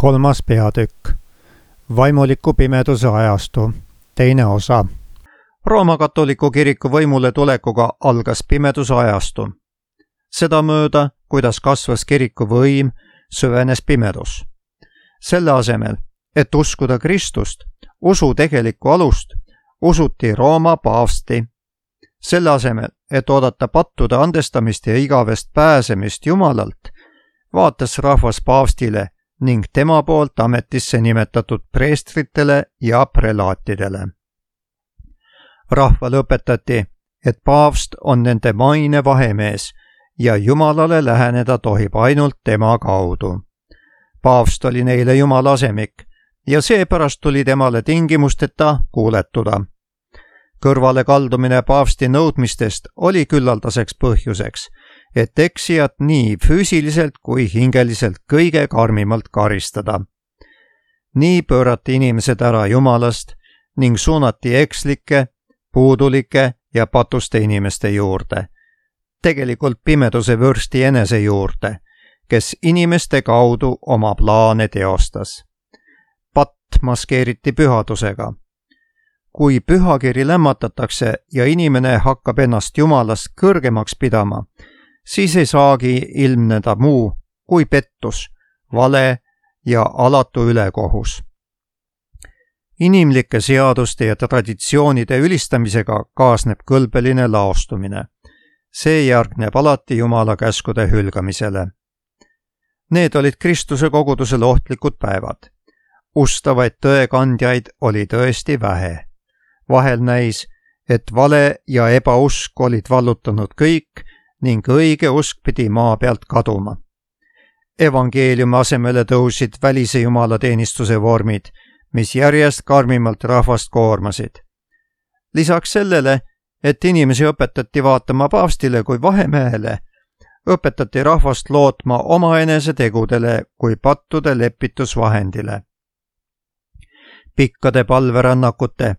3. peatükk. Vaimuliku pimeduse ajastu. 2. osa. Rooma katoliku kiriku võimule tulekuga algas pimeduse ajastu. Sedamööda, kuidas kasvas kiriku võim, süvenes pimedus. Selle asemel, et uskuda Kristust, usu tegelikku alust, usuti Rooma paavsti. Selle asemel, et oodata pattude andestamist ja igavest pääsemist Jumalalt, vaatas rahvas paavstile ning tema poolt ametisse nimetatud preestritele ja prelaatidele. Rahvale õpetati, et paavst on nende maine vahemees ja Jumalale läheneda tohib ainult tema kaudu. Paavst oli neile Jumala asemik ja seepärast tuli temale tingimusteta kuuletuda. Kõrvale kaldumine paavsti nõudmistest oli küllaldaseks põhjuseks, et eksijat nii füüsiliselt kui hingeliselt kõige karmimalt karistada. Nii pöörati inimesed ära Jumalast ning suunati ekslike, puudulike ja patuste inimeste juurde. Tegelikult pimeduse vürsti enese juurde, kes inimeste kaudu oma plaane teostas. Patt maskeeriti pühadusega. Kui pühakiri lämmatatakse ja inimene hakkab ennast Jumalast kõrgemaks pidama, siis ei saagi ilmneda muu kui pettus, vale ja alatu ülekohus. Inimlike seaduste ja traditsioonide ülistamisega kaasneb kõlbeline laostumine. See järgneb alati Jumala käskude hülgamisele. Need olid Kristuse kogudusele ohtlikud päevad. Ustavaid tõekandjaid oli tõesti vähe. Vahel näis, et vale ja ebausk olid vallutanud kõik ning õige usk pidi maa pealt kaduma. Evangeeliumi asemele tõusid välise jumalateenistuse vormid, mis järjest karmimalt rahvast koormasid. Lisaks sellele, et inimesi õpetati vaatama paavstile kui vahemehele, õpetati rahvast lootma omaenese tegudele kui pattude lepitusvahendile. Pikkade palverännakute,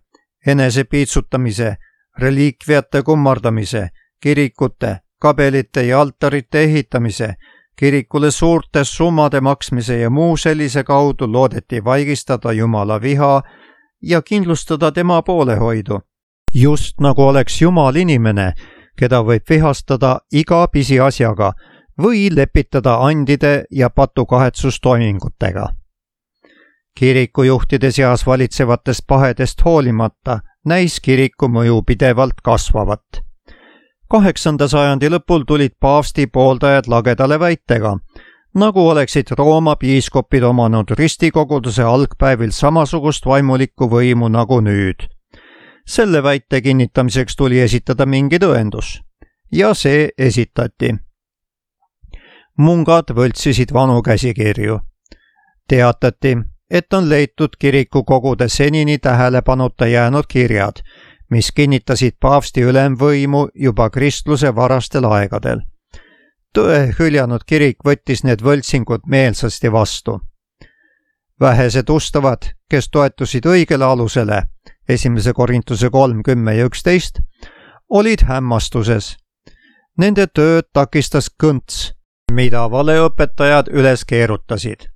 enese piitsutamise, reliikviate kummardamise, kirikute, kabelite ja altarite ehitamise, kirikule suurte summade maksmise ja muu sellise kaudu loodeti vaigistada Jumala viha ja kindlustada tema poolehoidu. Just nagu oleks Jumal inimene, keda võib vihastada iga pisiasjaga või lepitada andide ja patukahetsustoimingutega. Kirikujuhtide seas valitsevatest pahedest hoolimata näis kiriku mõju pidevalt kasvavat. 8. sajandi lõpul tulid paavsti pooldajad lagedale väitega, nagu oleksid Rooma piiskopid omanud ristikoguduse algpäevil samasugust vaimulikku võimu nagu nüüd. Selle väite kinnitamiseks tuli esitada mingi tõendus. Ja see esitati. Mungad võltsisid vanu käsikirju. Teatati, et on leitud kirikukogude senini tähelepanuta jäänud kirjad, mis kinnitasid paavsti ülemvõimu juba kristluse varastel aegadel. Tõe hüljanud kirik võttis need võltsingud meelsasti vastu. Vähesed ustavad, kes toetusid õigele alusele, 1. Korintuse 3:10 ja 11, olid hämmastuses. Nende tööd takistas kõnts, mida valeõpetajad üles keerutasid.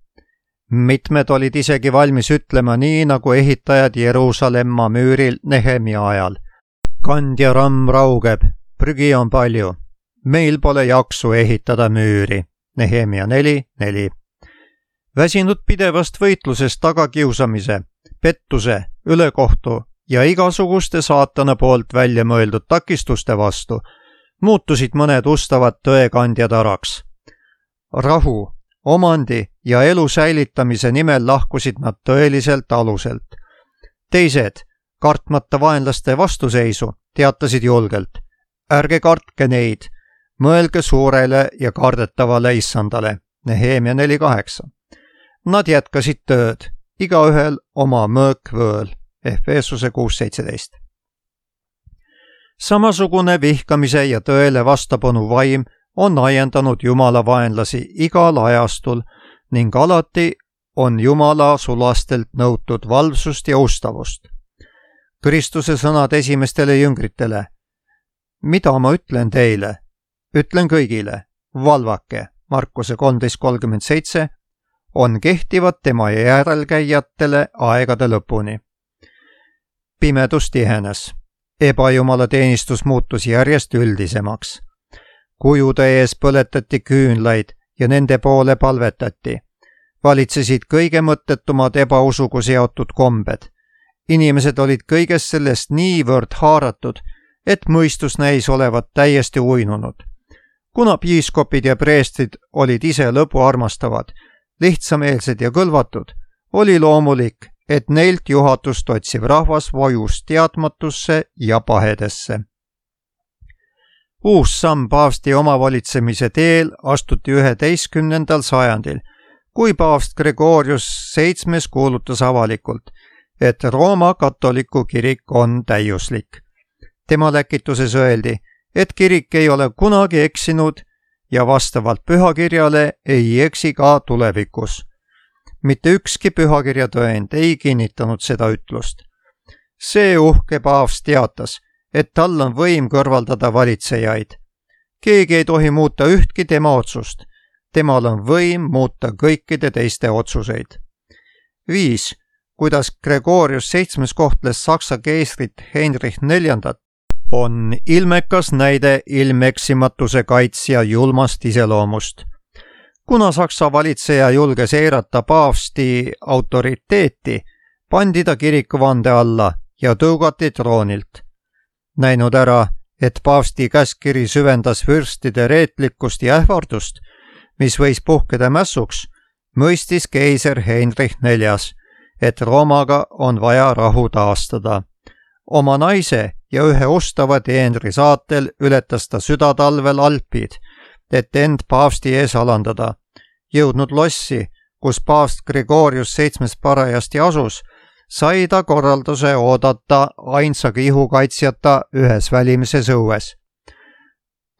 Mitmed olid isegi valmis ütlema nii, nagu ehitajad Jeruusalemma müüril Nehemia ajal. Kandja ramm raugeb, prügi on palju. Meil pole jaksu ehitada müüri. Nehemia 4:4. Väsinud pidevast võitlusest tagakiusamise, pettuse, ülekohtu ja igasuguste saatana poolt välja mõeldud takistuste vastu, muutusid mõned ustavad tõekandjad araks. Rahu, omandi ja elu säilitamise nimel lahkusid nad tõeliselt aluselt. Teised, kartmata vaenlaste vastuseisu, teatasid julgelt. Ärge kartke neid, mõelge suurele ja kardetavale issandale. Nehemia 4:8. Nad jätkasid tööd, igaühel oma mõõk võõl. Efesuse 6:17. Samasugune vihkamise ja tõele vastapanu vaim on ajendanud Jumala vaenlasi igal ajastul ning alati on Jumala sulastelt nõutud valvsust ja ustavust. Kristuse sõnad esimestele jüngritele. Mida ma ütlen teile? Ütlen kõigile, valvake, Markuse 13:37, on kehtivad tema järelkäijatele aegade lõpuni. Pimedus tihenes. Ebajumala teenistus muutus järjest üldisemaks. Kujude ees põletati küünlaid ja nende poole palvetati. Valitsesid kõige mõttetumad ebausuga seotud kombed. Inimesed olid kõigest sellest niivõrd haaratud, et mõistus näis olevat täiesti uinunud. Kuna piiskopid ja preestrid olid ise lõbuarmastavad, lihtsameelsed ja kõlvatud, oli loomulik, et neilt juhatust otsiv rahvas vajus teadmatusse ja pahedesse. Uus samm paavsti omavalitsemise teel astuti 11. sajandil, kui paavst Gregorius VII kuulutas avalikult, et Rooma katoliku kirik on täiuslik. Tema läkituses öeldi, et kirik ei ole kunagi eksinud ja vastavalt pühakirjale ei eksi ka tulevikus. Mitte ükski pühakirja tõend ei kinnitanud seda ütlust. See uhke paavst teatas, et tal on võim kõrvaldada valitsejaid. Keegi ei tohi muuta ühtki tema otsust. Temal on võim muuta kõikide teiste otsuseid. 5. Kuidas Gregorius VII kohtles Saksa keisrit Heinrich IV on ilmekas näide ilmeksimatuse kaitsja julmast iseloomust. Kuna Saksa valitseja julges eirata paavsti autoriteeti, pandi ta kirikuvande alla ja tõugati troonilt. Näinud ära, et paavsti käskkiri süvendas vürstide reetlikkust ja ähvardust, mis võis puhkeda mässuks, mõistis keiser Heinrich IV, et Roomaga on vaja rahu taastada. Oma naise ja ühe ustava teenri saatel ületas ta südatalvel Alpid, et end paavsti ees alandada. Jõudnud lossi, kus paavst Gregorius VII parajasti asus, sai ta korralduse oodata ainsaga ihukaitsjata ühes välimises õues.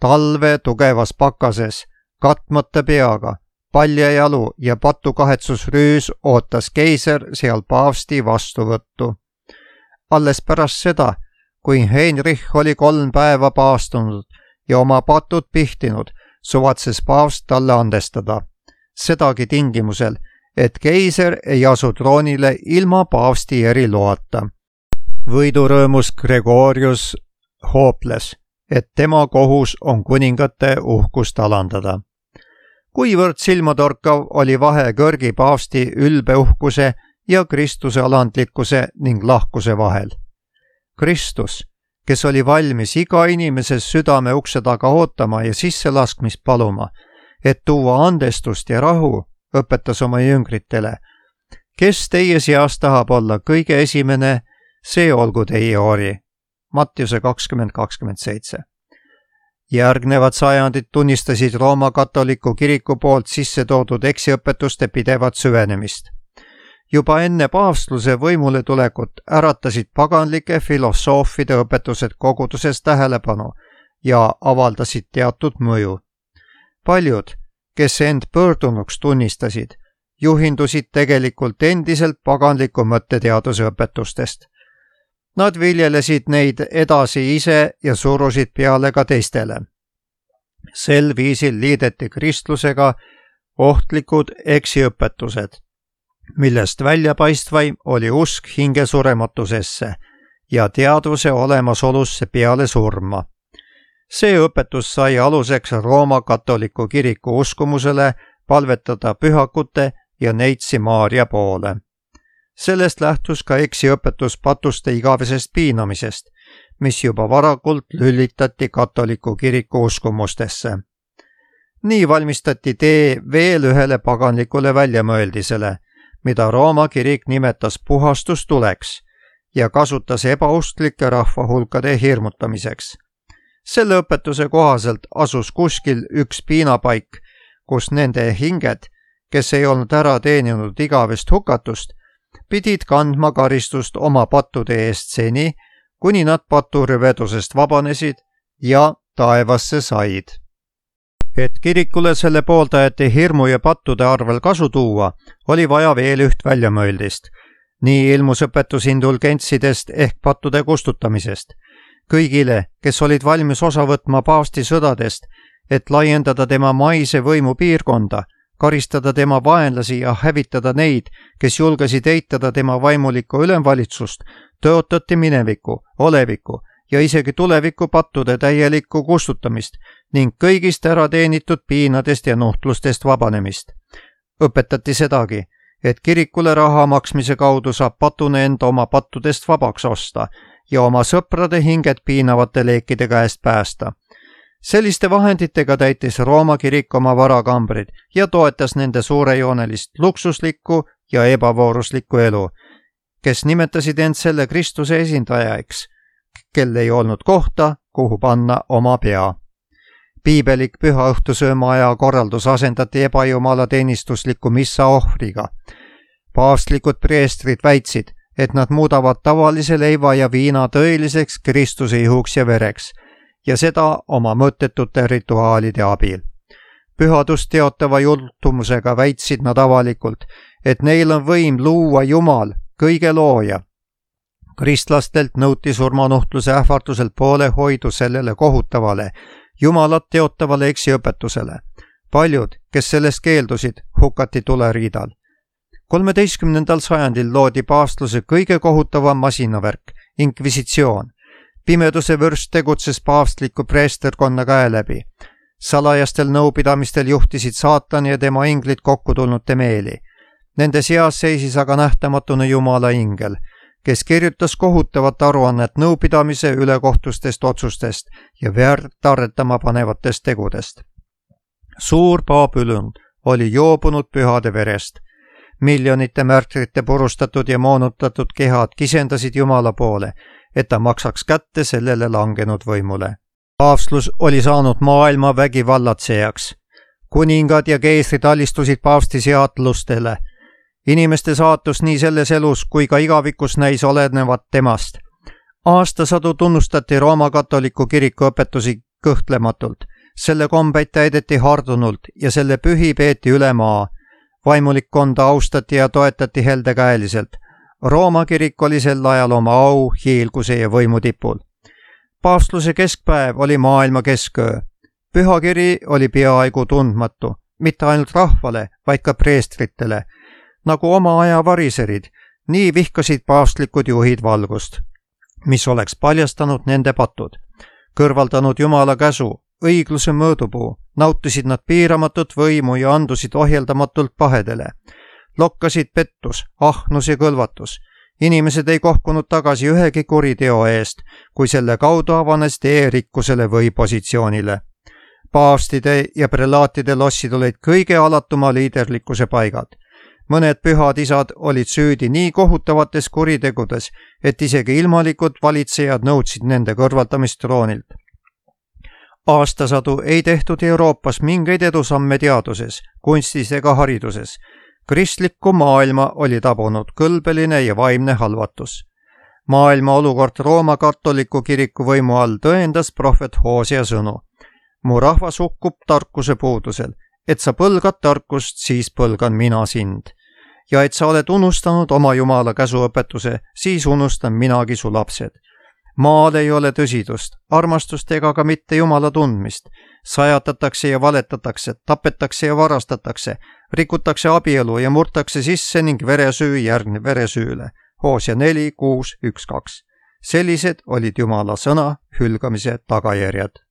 Talve tugevas pakases, katmata peaga, paljajalu ja patukahetsusrüüs ootas keiser seal paavsti vastuvõttu. Alles pärast seda, kui Heinrich oli 3 päeva paastunud ja oma patud pihtinud, suvatses paavst talle andestada. Sedagi tingimusel, et keiser ei asu troonile ilma paavsti eriloata. Võidurõõmus Gregorius hooples, et tema kohus on kuningate uhkust alandada. Kuivõrd silmatorkav oli vahe kõrgi paavsti ülbe uhkuse ja Kristuse alandlikkuse ning lahkuse vahel. Kristus, kes oli valmis iga inimese südame ukse taga ootama ja sisselaskmist paluma, et tuua andestust ja rahu, õpetas oma jüngritele. Kes teie seas tahab olla kõige esimene, see olgu teie ori. Mattiuse 20:27. Järgnevad sajandid tunnistasid Rooma katoliku kiriku poolt sisse toodud eksiõpetuste pidevat süvenemist. Juba enne paavstluse võimule tulekut äratasid paganlike filosoofide õpetused koguduses tähelepanu ja avaldasid teatud mõju. Paljud, kes end pöördunuks tunnistasid, juhindusid tegelikult endiselt paganliku mõtteteaduse õpetustest. Nad viljelesid neid edasi ise ja surusid peale ka teistele. Sel viisil liideti kristlusega ohtlikud eksiõpetused, millest väljapaistvaim oli usk hingesurematusesse ja teadvuse olemasolusse peale surma. See õpetus sai aluseks Rooma katoliku kiriku uskumusele palvetada pühakute ja neitsi Maaria poole. Sellest lähtus ka eksiõpetus patuste igavesest piinamisest, mis juba varakult lülitati katoliku kiriku uskumustesse. Nii valmistati tee veel ühele paganlikule väljamõeldisele, mida Rooma kirik nimetas puhastustuleks ja kasutas ebausklike rahvahulkade hirmutamiseks. Selle õpetuse kohaselt asus kuskil üks piinapaik, kus nende hinged, kes ei olnud ära teeninud igavest hukatust, pidid kandma karistust oma pattude eest seni, kuni nad paturvedusest vabanesid ja taevasse said. Et kirikule selle pooldajate hirmu ja pattude arvel kasu tuua, oli vaja veel üht väljamõeldist. Nii ilmus õpetus indulgentsidest ehk pattude kustutamisest. Kõigile, kes olid valmis osa võtma paavsti sõdadest, et laiendada tema maise võimu piirkonda, karistada tema vaenlasi ja hävitada neid, kes julgesid eitada tema vaimulikku ülemvalitsust, tõotati mineviku, oleviku ja isegi tuleviku pattude täielikku kustutamist ning kõigist ärateenitud piinadest ja nuhtlustest vabanemist. Õpetati sedagi, et kirikule raha maksmise kaudu saab patune enda oma pattudest vabaks osta ja oma sõprade hinged piinavate leekide käest päästa. Selliste vahenditega täitis Rooma kirik oma varakambrid ja toetas nende suurejoonelist luksuslikku ja ebavooruslikku elu, kes nimetasid end selle Kristuse esindajaiks, kel ei olnud kohta, kuhu panna oma pea. Piibelik pühaõhtusööma aja korraldus asendati ebajumala teenistusliku missa ohvriga. Paavstlikud preestrid väitsid, et nad muudavad tavalise leiva ja viina tõeliseks Kristuse ihuks ja vereks, ja seda oma mõttetute rituaalide abil. Pühadust teotava jultumusega väitsid nad avalikult, et neil on võim luua Jumal, kõige looja. Kristlastelt nõuti surmanuhtluse ähvarduselt poolehoidu sellele kohutavale, Jumalat teotavale eksiõpetusele. Paljud, kes sellest keeldusid, hukati tuleriidal. 13. sajandil loodi paavstluse kõige kohutavam masinavärk, inkvisitsioon. Pimeduse vürst tegutses paavstliku preesterkonna käe läbi. Salajastel nõupidamistel juhtisid saatan ja tema inglid kokku tulnute meeli. Nende seas seisis aga nähtamatuna Jumala ingel, kes kirjutas kohutavat aruannet nõupidamise ülekohtustest otsustest ja verd arretama panevatest tegudest. Suur Babylon oli joobunud pühade verest. Miljonite märtrite purustatud ja moonutatud kehad kisendasid Jumala poole, et ta maksaks kätte sellele langenud võimule. Paavstlus oli saanud maailma vägivallatsejaks. Kuningad ja keisrid alistusid paavsti seadlustele. Inimeste saatus nii selles elus kui ka igavikus näis olenevat temast. Aastasadu tunnustati Rooma katoliku kiriku õpetusi kõhtlematult. Selle kombeid täideti hardunult ja selle pühi peeti üle maa. Vaimulikkonda austati ja toetati heldekäeliselt. Rooma kirik oli sel ajal oma au, hiilguse ja võimu tipul. Paavstluse keskpäev oli maailma kesköö. Pühakiri oli peaaegu tundmatu, mitte ainult rahvale, vaid ka preestritele. Nagu oma aja variserid, nii vihkasid paavstlikud juhid valgust, mis oleks paljastanud nende patud. Kõrvaldanud Jumala käsu, õigluse mõõdupuu, nautisid nad piiramatut võimu ja andusid ohjeldamatult pahedele. Lokkasid pettus, ahnus ja kõlvatus. Inimesed ei kohkunud tagasi ühegi kuriteo eest, kui selle kaudu avanes tee rikkusele või positsioonile. Paavstide ja prelaatide lossid olid kõige alatuma liiderlikkuse paigad. Mõned pühad isad olid süüdi nii kohutavates kuritegudes, et isegi ilmalikud valitsejad nõudsid nende kõrvaldamist troonilt. Aastasadu ei tehtud Euroopas mingeid edusamme teaduses, kunstis ega hariduses. Kristlikku maailma oli tabunud kõlbeline ja vaimne halvatus. Maailma olukord Rooma katoliku kiriku võimu all tõendas prohvet Hosea sõnu. Mu rahvas hukkub tarkuse puudusel, et sa põlgad tarkust, siis põlgan mina sind. Ja et sa oled unustanud oma Jumala käsuõpetuse, siis unustan minagi su lapsed. Maal ei ole tõsidust, armastust ega ka mitte Jumala tundmist. Sajatatakse ja valetatakse, tapetakse ja varastatakse, rikutakse abielu ja murtakse sisse ning veresüü järgneb veresüüle. Hosea 4, 6, 1, 2. Sellised olid Jumala sõna hülgamise tagajärjed.